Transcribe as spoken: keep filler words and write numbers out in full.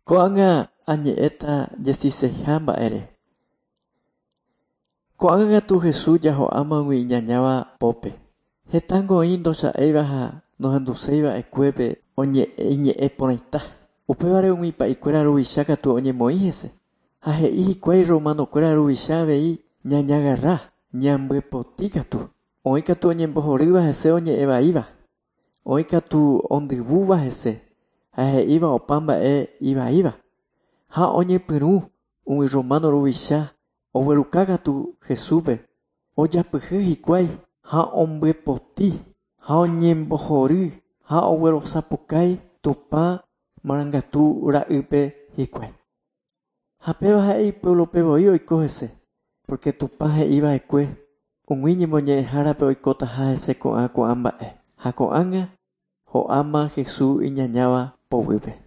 Ko'ág̃a añe'ẽta jesiseiha mba'ére. Ko'ág̃a katu Jesús jaho'ámagui iñañáva pópe. Hetángo oĩ ndocha'éiva ha nohenduseiva'ekuépe iñe'ẽ porãita. Upévare umi pa'ikuéra ruvicha katu oñemoĩ hese. Ha he'i hikuái romanokuéra ruvicha avei ñañagarra, ñambyepoti katu. Oĩ katu oñembohorýva hese oñe'ẽvaíva. Oĩ katu ondyvúva hese ha he'íva opa mba'e ivaíva. Ha oñepyrũ umi romano ruvicha ogueruka katu Jesúspe ojapyhy hikuái ha ombyepoti ha oñembohory ha oguerosapukái Tupã marangatu ra'ýpe hikuái. Ha péva ha'e ipueblope voi oiko hese, porque Tupã he'iva'ekue umi ñemoñe'ẽhárape oikotaha hese ko'ã ko'ã mba'e. Ha ko'ág̃a ho'áma Jesús iñañáva poguýpe.